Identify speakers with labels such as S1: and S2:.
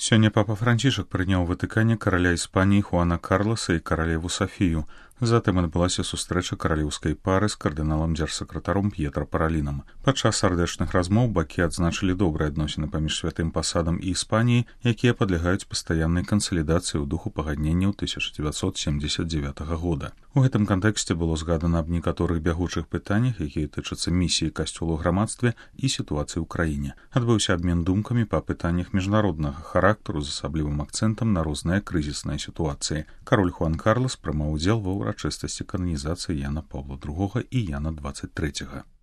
S1: Сёння папа Францішак прыняў у Ватыкане караля Іспаніі Хуана Карласа і каралеву Сафію. Затым адбылася сустрэча каралеўскай пары з кардыналам-дзяржсакратаром П'етра Паралінам. Падчас сардэчных размоў бакі адзначылі добрыя адносіны паміж святым пасадам і Іспаніяй, якія падлягаюць пастаяннай кансалідацыі ў духу пагадненняў 1979 года. У гэтым кантэксце было згадана аб некаторых бягучых пытаннях, якія тычацца місіі касцёлу ў грамадстве і сітуацыі ў краіне. Адбыўся абмен думкамі па пытаннях міжнароднага характару з асаблівым акцэнтам на розныя крызісныя сітуацыі. Кароль Хуан Карлас прымаў удзел ва ўрачыстасці кананізацыі Яна Паўла II і Яна XXIII.